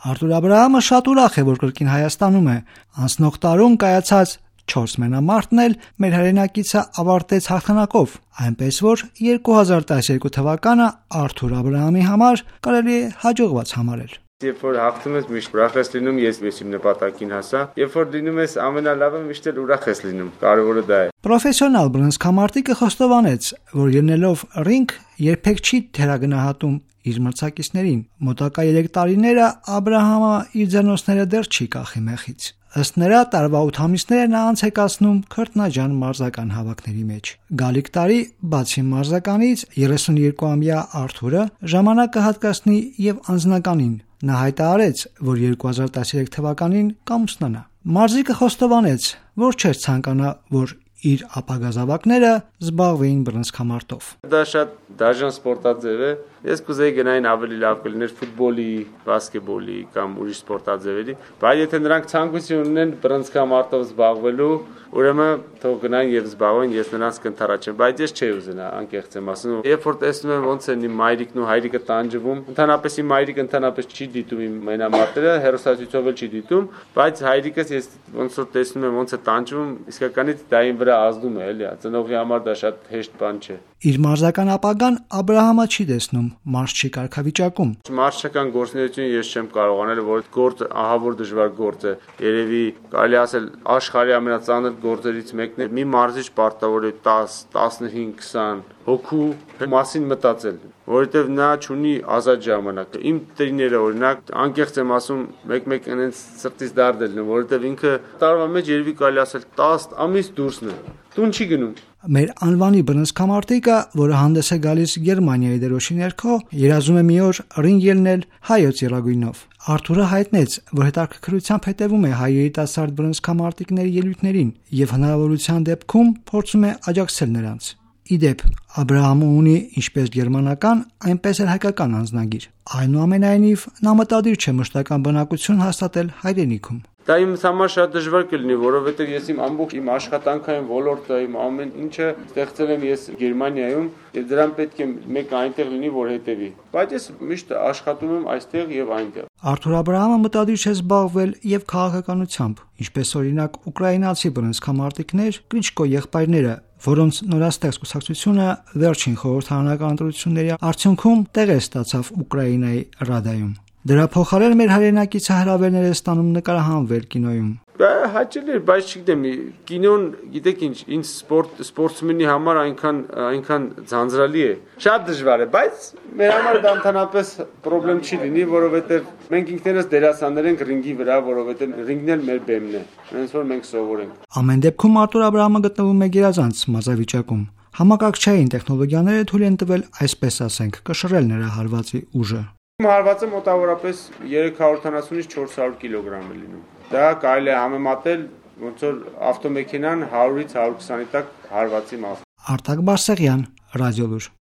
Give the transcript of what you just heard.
Արտուր Աբրահամը շատ ուրախ է, որ կրկին Հայաստանում է։ Անցնող տարում կայացած 4 մենամարտն էլ մեր հայրենակիցը ավարտեց հաղթանակով, այնպես որ 2012 թվականը Արտուր Աբրահամի համար կարելի է հաջողված համարել։ Երբ որ հաղթում ես, միշտ ուրախ ես լինում, ես իմ նպատակին հասա։ Երբ որ լինում ես ամենալավը, միշտ էլ ուրախ ես լինում։ Կարևորը դա է։ Պրոֆեսիոնալ բռնցքամարտիկը խոստովանեց, որ ելնելով ռինգ երբեք չի թերագնահատում իր մրցակիցներին։ Մոտակա 3 տարիները Աբրահամը իր ձեռնոցները դեռ չի կախի մեխից։ Ըստ նրա, տարվա 8 ամիսները նա անց է կացնում քրտնաջան մարզական հավաքների մեջ։ Գալիք տարի, բացի մարզականից, 32-ամյա Արտուրը ժամանակ կհատկացնի եւ անձնականին։ Նա հայտարարեց, որ 2013 թվականին կամուսնանա։ Մարզիկը խոստովանեց, որ չէր ցանկանա, որ իր ապագա զավակները զբաղվեին բռնցքամարտով։ Դա շատ դաժան սպորտաձև է։ Ես կուզեի գնային ավելի լավ կլիներ ֆուտբոլի, բասկետբոլի կամ ուրիշ սպորտաձևերի, բայց եթե նրանք ցանկություն ունեն բռնցքամարտով զբաղվելու, ուրեմն թող գնային եւ զբաղվեն, ես նրանց կընթառաջեմ, բայց ես չէի ուզենա, անկեղծ եմ ասում։ Երբ որ տեսնում եմ ոնց են իմ մայրիկն ու հայրիկը տանջվում, ընդհանրապես իմ մայրիկը ընդհանրապես չի դիտում իմ մենամարտերը, հեռուստացույցով էլ չի դիտում, բայց հայրիկս ես ոնց որ տեսնում եմ ոնց է տանջվում, իսկականից դա իմ վրա ազդում է, էլի, ծնողի համար դա շատ հեշտ բան չէ։ Իր մարզական ապագան Աբրահամը չի տեսնում մարզչի կարգավիճակում։ Մարզչական գործունեությունը ես չեմ կարող անել, որ գործը ահավոր դժվար գործ է։ Երևի կարելի ասել աշխարհի ամենածանր գործերից մեկն է։ Մի մարզիչ պարտավոր է 10, 15, 20 հոգու մասին մտածել, որովհետև նա ունի ազատ ժամանակ։ Իմ տրիները օրինակ անկեղծ եմ ասում, մեկ-մեկ այնց սրտից դարդ է լինում, որովհետև ինքը տարվա մեջ երևի կարելի ասել 10 ամիս դուրսն է։ Տուն չի գնում։ Մեր անվանի բռնցքամարտիկը, որը հանդես է գալիս Գերմանիայի դրոշի ներքո, երազում է մի օր ռինգ ելնել հայոց եռագույնով։ Արտուրը հայտնեց, որ հետաքրքրությամբ հետևում է հայ երիտասարդ բռնցքամարտիկների ելույթներին եւ հնարավորության դեպքում փորձում է աջակցել նրանց։ Իդեպ, Աբրահամը ունի ինչպես գերմանական, այնպես էլ հայկական անձնագիր։ Այնուամենայնիվ, նա մտադիր չէ մշտական բնակություն հաստատել հայրենիքում։ Դա իմ համար շատ դժվար կլինի, որովհետև ես իմ ամբողջ իմ աշխատանքային ոլորտը, իմ ամեն ինչը ստեղծել եմ ես Գերմանիայում, եւ դրան պետք է մեկ այնտեղ լինի, որ հետեւի։ Բայց ես միշտ աշխատում եմ այստեղ եւ այնտեղ։ Արտուր Աբրահամը մտադիր չէ զբաղվել եւ քաղաքականությամբ, ինչպես օրինակ ուկրաինացի բռնցքամարտիկներ Կլիչկո եղբայրները, որոնց նորաստեղծ կուսակցությունը վերջին խորհրդարանական ընտրությունների արդյունքում տեղեր ստացավ Ուկրաինայի Ռադայում։ Դրա փոխարեն մեր հայրենակիցը հրավերներ է ստանում նկարահանվել կինոյում։ Հաճելի է, բայց չգիտեմ, կինոն, գիտեք ինչ, ինձ սպորտսմենի համար այնքան ձանձրալի է։ Շատ դժվար է, բայց մեր համար դա ընդհանրապես խնդրեմ չի լինի, որովհետև մենք ինքներս դերասաններ ենք ռինգի վրա, որովհետև ռինգն էլ մեր բեմն է, հենց որ մենք սովորենք։ Ամեն դեպքում Արտուր Աբրահամը գտնվում է գերազանց մազավիճակում։ Համակարգչային տեխնոլոգիաները թույլ են տվել, այսպես ասենք, կշռել նրա հարվածի ուժը։ Իմ հարվածը մոտավորապես 370-ից 400 կիլոգրամ է լինում։ Դա կարելի է համեմատել ոնց որ ավտոմեքենան 100-ից 120-ի տակ հարվածի մաս։ Արտակ Բարսեղյան, Ռադիոլուր։